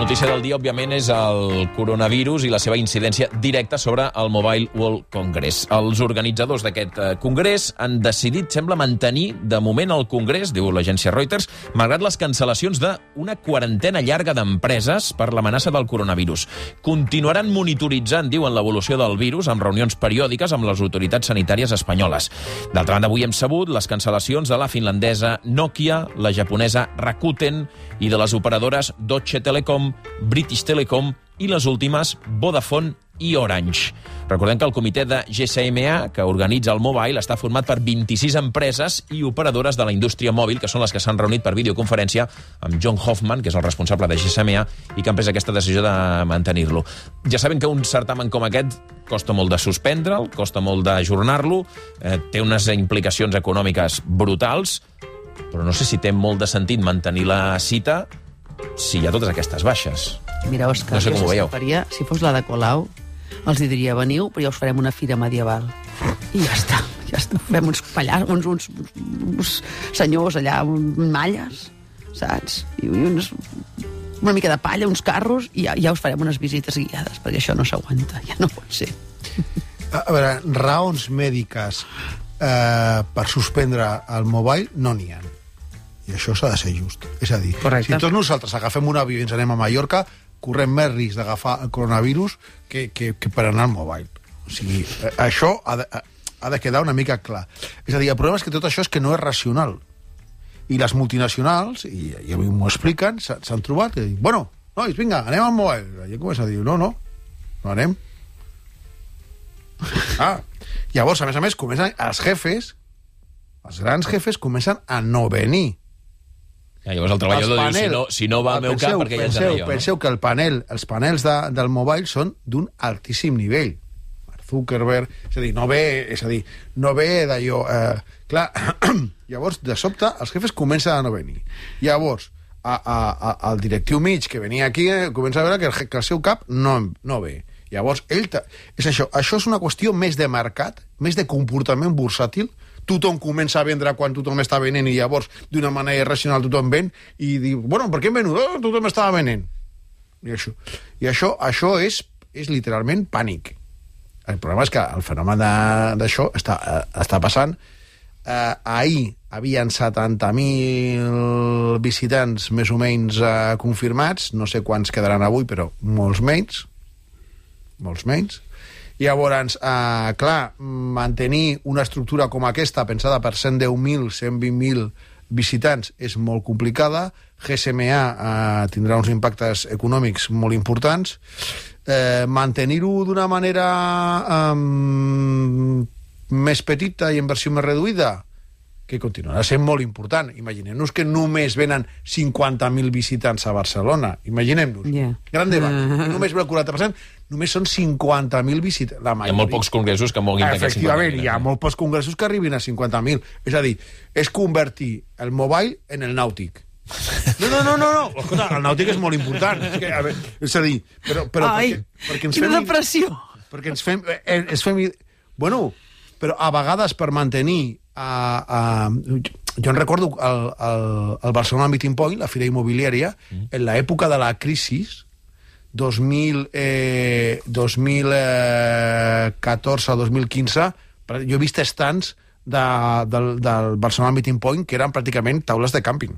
notícia del dia, òbviament, és el coronavirus i la seva incidència directa sobre el Mobile World Congress. Els organitzadors d'aquest congrés han decidit, sembla, mantenir de moment el congrés, diu l'agència Reuters, malgrat les cancel·lacions d'una quarantena llarga d'empreses per l'amenaça del coronavirus. Continuaran monitoritzant, diuen, l'evolució del virus amb reunions periòdiques amb les autoritats sanitàries espanyoles. D'altra banda, avui hem sabut les cancel·lacions de la finlandesa Nokia, la japonesa Rakuten i de les operadores Deutsche Telekom, British Telecom i les últimes Vodafone i Orange. Recordem que el comitè de GSMA, que organitza el Mobile, està format per 26 empreses i operadores de la indústria mòbil, que són les que s'han reunit per videoconferència amb John Hoffman, que és el responsable de GSMA, i que han pres aquesta decisió de mantenir-lo. Ja saben que un certamen com aquest costa molt de suspendre'l, costa molt d'ajornar-lo, té unes implicacions econòmiques brutals, però no sé si té molt de sentit mantenir la cita si hi ha totes aquestes baixes. Mira, Òscar, no sé com ho veieu. Si fos la de Colau, els diria, veniu, però ja us farem una fira medieval. I ja està. Fem uns pallars, uns senyors allà, malles, saps? I una mica de palla, uns carros, i ja us farem unes visites guiades, perquè això no s'aguanta, ja no pot ser. A veure, raons mèdiques per suspendre el Mobile no n'hi ha. I això s'ha de ser just. És a dir, correcte. Si tots nosaltres agafem un avió i ens anem a Mallorca, correm més risc d'agafar el coronavirus que per anar al Mobile. O sigui, això ha de quedar una mica clar. És a dir, el problema és que tot això és que no és racional. I les multinacionals, i avui m'ho expliquen, s'han trobat i diuen, bueno, nois, vinga, anem al Mobile. I comença a dir, no anem. Llavors, a més, comencen els grans jefes comencen a no venir. Llavors el treballador diu, si no va al meu cap, perquè ja ens aneu. Penseu que els panels del Mobile són d'un altíssim nivell. Mark Zuckerberg, és a dir, no ve d'allò... Clar, llavors, de sobte, els jefes comencen a no venir. Llavors, el directiu mig que venia aquí comença a veure que el seu cap no ve. Llavors, és això és una qüestió més de mercat, més de comportament bursàtil. Tothom comença a vendre quan tothom està venent i llavors, d'una manera irracional, tothom ven i diu, bueno, per què hem venut? Tothom estava venent. I això és literalment pànic. El problema és que el fenomen d'això està passant. Ahir havien 70.000 visitants més o menys confirmats, no sé quants quedaran avui, però molts menys. Llavors, clar, mantenir una estructura com aquesta, pensada per 110.000, 120.000 visitants, és molt complicada. GSMA tindrà uns impactes econòmics molt importants. Mantenir-ho d'una manera més petita i en versió més reduïda, que continuarà sent molt important. Imaginem-nos que només venen 50.000 visitants a Barcelona. Imaginem-nos. Gran debat. Només ve el 40%, només són 50.000 visitants. Hi ha molt pocs congressos que moguin d'aquests 50.000. Efectivament, hi ha molt pocs congressos que arribin a 50.000. És a dir, és convertir el Mobile en el Nàutic. No. Escolta, el Nàutic és molt important. És a dir, però perquè ens fem... Quina depressió! Perquè ens fem... Bueno, però a vegades per mantenir... jo en recordo el Barcelona Meeting Point, la fira immobiliària, en l'època de la crisi, 2014-2015, jo he vist estants del Barcelona Meeting Point que eren pràcticament taules de càmping.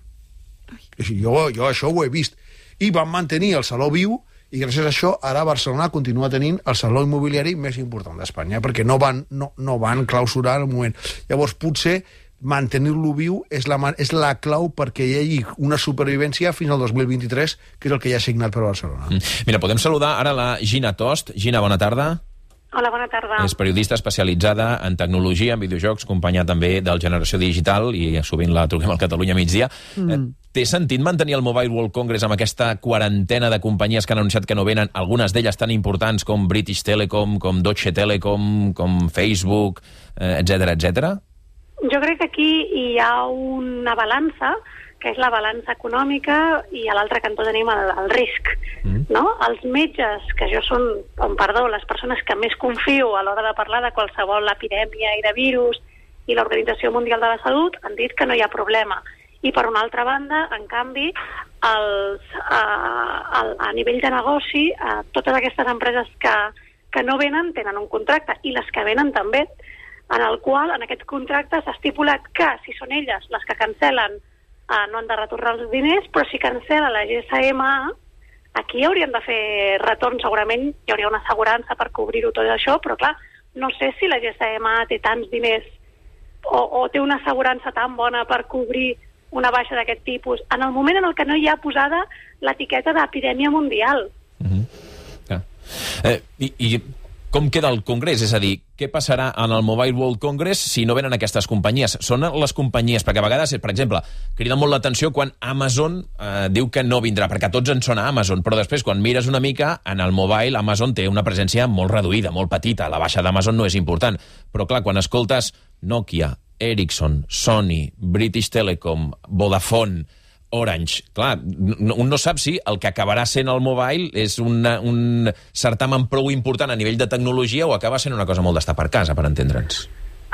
Jo això ho he vist. I van mantenir el saló viu, i gràcies a això ara Barcelona continua tenint el saló immobiliari més important d'Espanya, perquè no van clausurar en el moment. Llavors, potser mantenir-lo viu és la clau perquè hi hagi una supervivència fins al 2023, que és el que ja ha signat per Barcelona. Mira, podem saludar ara la Gina Tost. Gina, bona tarda. Hola, bona tarda. És periodista especialitzada en tecnologia, en videojocs, companya també del Generació Digital, i sovint la truquem al Catalunya Migdia. Té sentit mantenir el Mobile World Congress amb aquesta quarantena de companyies que han anunciat que no venen, algunes d'elles tan importants com British Telecom, com Deutsche Telekom, com Facebook, etc. Jo crec que aquí hi ha una balança, que és la balança econòmica, i a l'altre cantó tenim el risc. No? Els metges, que són, les persones que més confio a l'hora de parlar de qualsevol epidèmia i de virus, i l'Organització Mundial de la Salut, han dit que no hi ha problema. I per una altra banda, en canvi, a nivell de negoci, totes aquestes empreses que no venen tenen un contracte, i les que venen també, en el qual en aquest contracte s'ha estipulat que si són elles les que cancel·len no han de retornar els diners, però si cancel·la la GSMA, aquí haurien de fer retorn, segurament hi hauria una assegurança per cobrir-ho tot això, però clar, no sé si la GSMA té tants diners o té una assegurança tan bona per cobrir una baixa d'aquest tipus, en el moment en el que no hi ha posada l'etiqueta d'epidèmia mundial. I com queda el Congrés? És a dir, què passarà en el Mobile World Congress si no venen aquestes companyies? Són les companyies, perquè a vegades, per exemple, crida molt l'atenció quan Amazon diu que no vindrà, perquè a tots ens sona Amazon, però després, quan mires una mica, en el mobile, Amazon té una presència molt reduïda, molt petita. La baixa d'Amazon no és important. Però, clar, quan escoltes Nokia, Ericsson, Sony, British Telecom, Vodafone, Orange, clar, un no sap si el que acabarà sent el mobile és un certamen prou important a nivell de tecnologia o acaba sent una cosa molt d'estar per casa, per entendre'ns.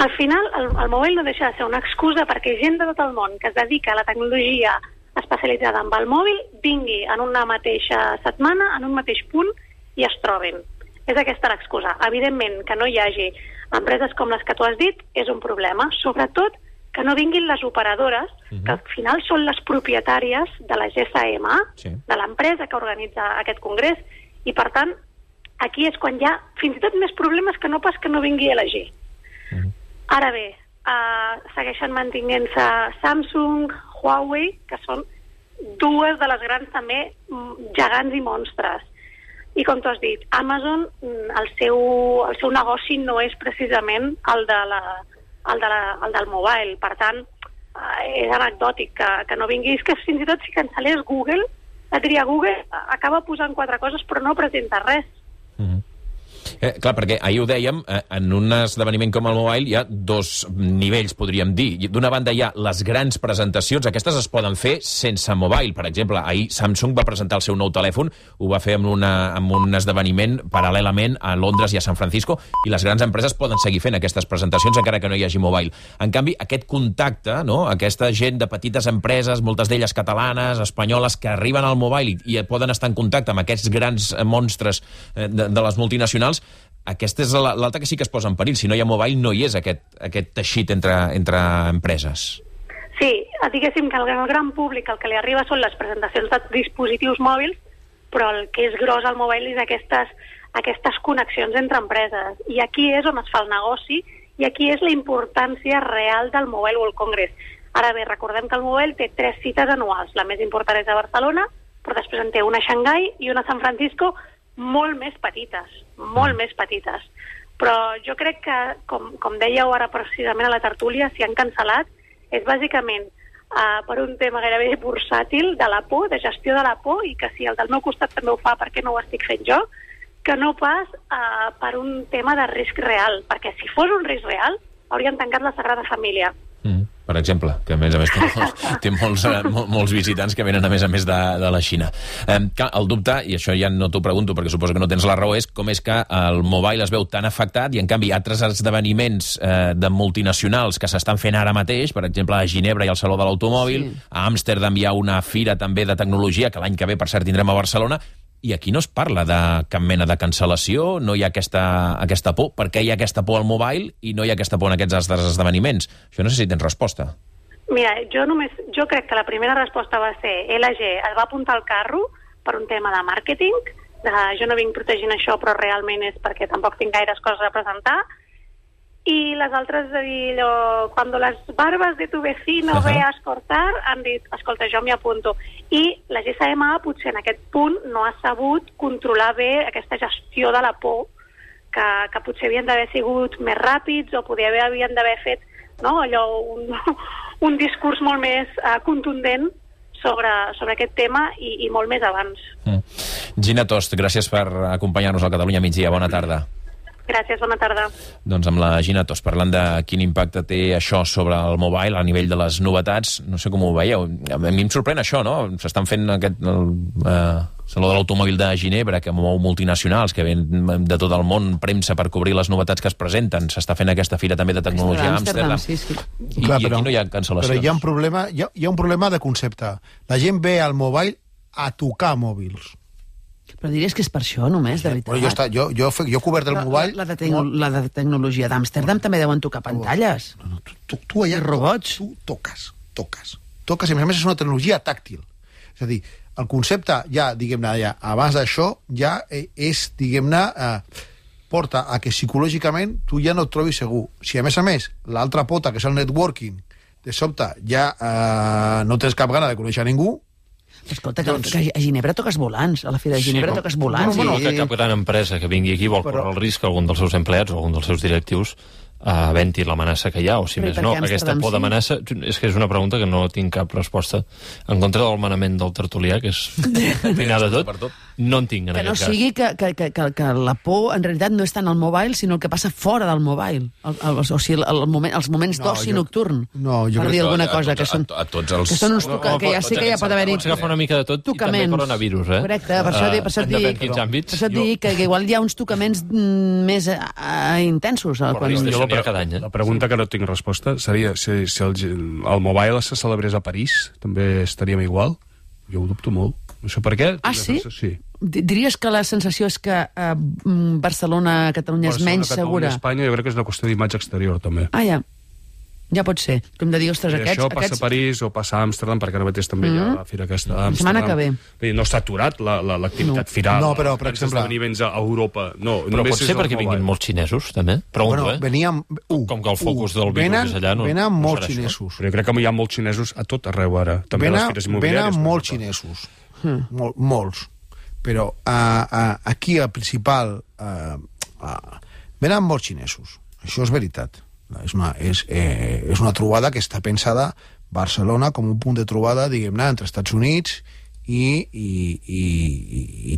Al final, el mobile no deixa de ser una excusa perquè gent de tot el món que es dedica a la tecnologia especialitzada amb el mòbil vingui en una mateixa setmana, en un mateix punt, i es trobin. És aquesta l'excusa. Evidentment, que no hi hagi empreses com les que tu has dit és un problema, sobretot que no vinguin les operadores, que al final són les propietàries de la GSMA, de l'empresa que organitza aquest congrés, i per tant, aquí és quan hi ha fins i tot més problemes que no pas que no vingui a LG. Ara bé, segueixen mantenint-se Samsung, Huawei, que són dues de les grans també gegants i monstres. I com tu has dit, Amazon, el seu negoci no és precisament el del mobile, per tant és anecdòtic que no vinguis, que fins i tot si cancel·lés Google, la tria Google acaba posant 4 coses però no presenta res. Clar, perquè ahir ho dèiem, en un esdeveniment com el Mobile hi ha 2 nivells, podríem dir. D'una banda hi ha les grans presentacions, aquestes es poden fer sense Mobile. Per exemple, ahir Samsung va presentar el seu nou telèfon, ho va fer amb un esdeveniment paral·lelament a Londres i a San Francisco, i les grans empreses poden seguir fent aquestes presentacions encara que no hi hagi Mobile. En canvi, aquest contacte, no? Aquesta gent de petites empreses, moltes d'elles catalanes, espanyoles, que arriben al Mobile i poden estar en contacte amb aquests grans monstres de les multinacionals, aquesta és l'altra que sí que es posa en perill. Si no hi ha mobile, no hi és aquest teixit entre empreses. Sí, diguéssim que al gran públic el que li arriba són les presentacions de dispositius mòbils, però el que és gros al mobile és aquestes connexions entre empreses. I aquí és on es fa el negoci i aquí és la importància real del Mobile World Congress. Ara bé, recordem que el Mobile té 3 cites anuals. La més important és a Barcelona, però després en té una a Xangai i una a San Francisco, molt més petites. Però jo crec que, com dèieu ara precisament a la tertúlia, si han cancel·lat, és bàsicament per un tema gairebé bursàtil de la por, de gestió de la por, i que si el del meu costat també ho fa, per què no ho estic fent jo, que no pas per un tema de risc real, perquè si fos un risc real, haurien tancat la Sagrada Família. Per exemple, que a més té molts visitants que venen a més de la Xina. El dubte, i això ja no t'ho pregunto perquè suposo que no tens la raó, és com és que el mobile es veu tan afectat i en canvi altres esdeveniments de multinacionals que s'estan fent ara mateix, per exemple a Ginebra hi ha el Saló de l'Automòbil, a Amsterdam hi ha una fira també de tecnologia que l'any que ve per cert tindrem a Barcelona, i aquí no es parla de cap mena de cancel·lació, no hi ha aquesta por. Per què hi ha aquesta por al mobile i no hi ha aquesta por en aquests altres esdeveniments? Això no sé si tens resposta. Mira, jo crec que la primera resposta va ser LG es va apuntar al carro per un tema de màrqueting, jo no vinc protegint això però realment és perquè tampoc tinc gaires coses a presentar, i les altres de dir cuando las barbas de tu vecino veas cortar, han dit, escolta, jo m'hi apunto. I la GSMA potser en aquest punt no ha sabut controlar bé aquesta gestió de la por, que potser havien d'haver sigut més ràpids o potser havien d'haver fet un discurs molt més contundent sobre aquest tema i molt més abans. Gina Tost, gràcies per acompanyar-nos al Catalunya Migdia. Bona tarda. Gràcies, bona tarda. Doncs amb la Gina Tost, parlant de quin impacte té això sobre el mobile a nivell de les novetats, no sé com ho veieu. A mi em sorprèn això, no? S'estan fent Saló de l'Automòbil de Ginebra, que mou multinacionals, que ven de tot el món premsa per cobrir les novetats que es presenten. S'està fent aquesta fira també de tecnologia a Amsterdam. Sí. I aquí no hi ha cancel·lacions. Però hi ha un problema de concepte. La gent ve al mobile a tocar mòbils. Però diries que és per això, només, de veritat. Jo he cobert el mobile... La de tecnologia d'Amsterdam també deuen tocar pantalles. Tu allà... robots. Tu toques, i a més és una tecnologia tàctil. És a dir, el concepte ja, diguem-ne, abans d'això, ja és, diguem-ne, porta a que psicològicament tu ja no et trobis segur. Si a més, l'altra pota, que és el networking, de sobte ja no tens cap gana de conèixer ningú. Escolta, que a Ginebra toques volants, a la Fira de Ginebra toques volants. No, que cap gran empresa que vingui aquí vol córrer el risc que algun dels seus empleats o algun dels seus directius venti l'amenaça que hi ha, o si més no, aquesta por d'amenaça, és que és una pregunta que no tinc cap resposta. En contra del manament del tertulià, que és final de tot, no en tinc en aquest cas. Que no sigui que la por en realitat no és tant al mobile, sinó el que passa fora del mobile. O sigui, els moments d'oci nocturn. Per dir alguna cosa, que són uns tocaments, que ja sé que ja pot haver-hi... Pots agafar una mica de tot i també coronavirus, eh? Correcte, per això et dic que igual hi ha uns tocaments més intensos. La pregunta que no tinc resposta seria si el mobile se celebrés a París, també estaríem igual? Jo ho dubto molt. No sé per què. Ah, sí? Sí. Diries que la sensació és que Barcelona, Catalunya és menys segura? Espanya jo crec que és una qüestió d'imatge exterior, també. Ah, ja pot ser. Com de dir, ostres, això passa a París o passa a Amsterdam, perquè ara mateix també hi ha la fira aquesta d'Amsterdam. Setmana que ve. No s'ha aturat l'activitat firal. No, però, per exemple... esdeveniments a Europa. No, però pot ser perquè vinguin molts xinesos, també? Pregunto, com que el focus del virus és allà, no venen molts xinesos. Però jo crec que hi ha molts xinesos a tot arreu ara. També a les fires immobiliàries. Venen molts xinesos. Molts. Però aquí el principal... Venen molts xinesos. Això és veritat. És una trobada que està pensada Barcelona com un punt de trobada, diguem-ne, entre Estats Units i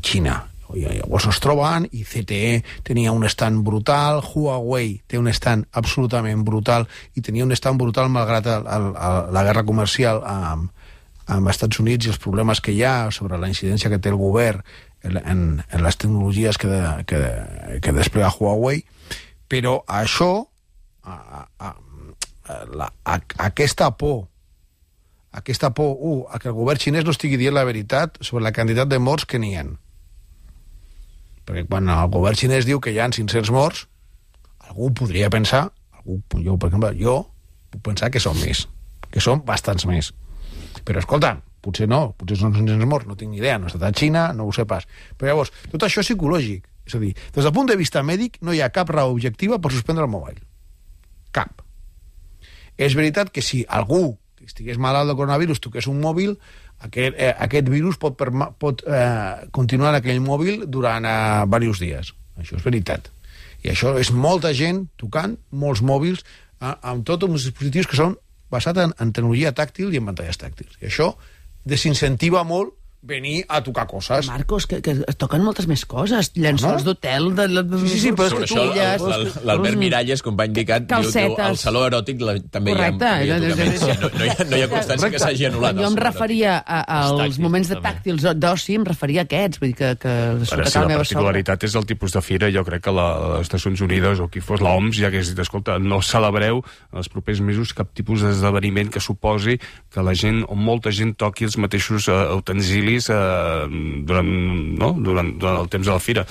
Xina. I llavors es troben, i CTE tenia un stand brutal, Huawei té un stand absolutament brutal, i tenia un stand brutal malgrat la guerra comercial amb Estats Units i els problemes que hi ha sobre la incidència que té el govern en les tecnologies que desplega Huawei. Però això, aquesta por, a que el govern xinès no estigui dient la veritat sobre la quantitat de morts que n'hi ha. Perquè quan el govern xinès diu que hi ha 500 morts, algú podria pensar, jo puc pensar que són més, que són bastants més. Però escolta, potser són 500 morts, no tinc ni idea, no he estat a Xina, no ho sé pas. Però llavors, tot això és psicològic. És a dir, des del punt de vista mèdic no hi ha cap raó objectiva per suspendre el mobile. Cap. És veritat que si algú que estigués malalt del coronavirus toqués un mòbil, aquest virus pot continuar en aquell mòbil durant diversos dies. Això és veritat. I això és molta gent tocant molts mòbils amb tots els dispositius que són basats en tecnologia tàctil i en pantalles tàctils. I això desincentiva molt venir a tocar coses. Marcos, que es toquen moltes més coses. Llençols d'hotel, sí, però és que l'Albert Miralles, company d'ICAT, diu el saló eròtic també hi ha tocaments. No hi ha constància que s'hagi anul·lat. Jo em referia als moments de tàctils d'oci, em referia a aquests. Vull dir que la particularitat és el tipus de fira. Jo crec que les Nacions Unides o qui fos l'OMS ja hagués dit, escolta, no celebreu en els propers mesos cap tipus d'esdeveniment que suposi que la gent o molta gent toqui els mateixos utensilis durant el temps de la fira.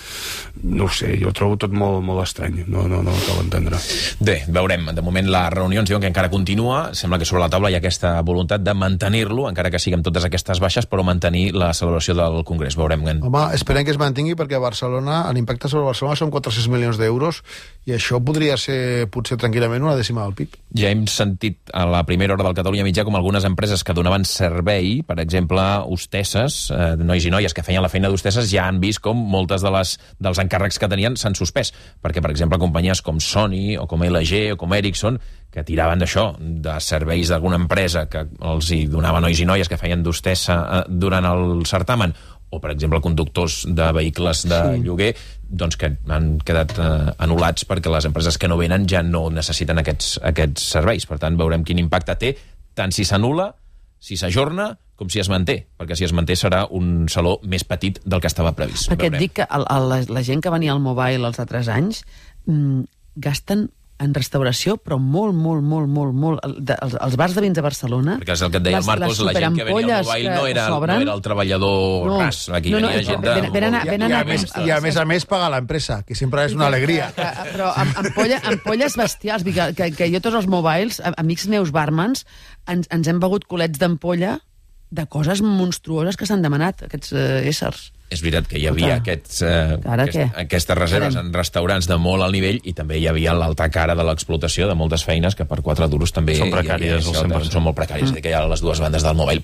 No ho sé, jo trobo tot molt estrany, no cal entendre. Bé, veurem. De moment les reunions diuen que encara continua, sembla que sobre la taula hi ha aquesta voluntat de mantenir-lo, encara que siguin totes aquestes baixes, però mantenir la celebració del Congrés. Veurem. Home, esperem que es mantingui, perquè a Barcelona, l'impacte sobre Barcelona són 400 milions d'euros, i això podria ser, potser tranquil·lament, una dècima del PIB. Ja hem sentit a la primera hora del Catalunya Mitjà com algunes empreses que donaven servei, per exemple, hostesses, nois i noies que feien la feina d'hostesses, ja han vist com moltes dels encàrrecs que tenien s'han suspès, perquè, per exemple, companyies com Sony o com LG o com Ericsson, que tiraven d'això, de serveis d'alguna empresa que els hi donava nois i noies que feien d'hostessa durant el certamen, o, per exemple, conductors de vehicles de lloguer, doncs que han quedat anul·lats perquè les empreses que no venen ja no necessiten aquests serveis. Per tant, veurem quin impacte té, tant si s'anul·la, si s'ajorna, com si es manté, perquè si es manté serà un saló més petit del que estava previst. Perquè et dic que la gent que venia al Mobile els altres anys gasten en restauració, però molt. Els bars de vins de Barcelona... Perquè és el que et deia el Marcos, la gent que venia al Mobile no era el treballador ras. Aquí venia gent de... I a més paga l'empresa, que sempre és una alegria. Però ampolles bestials. Que jo tots els Mobiles, amics meus barmans, ens hem begut culets d'ampolla de coses monstruoses que s'han demanat, aquests éssers. És veritat que hi havia aquestes reserves en restaurants de molt alt nivell i també hi havia l'altra cara de l'explotació de moltes feines que per 4 duros també... Són precàries, al 100%. Són molt precàries, que hi ha les dues bandes del Mobile.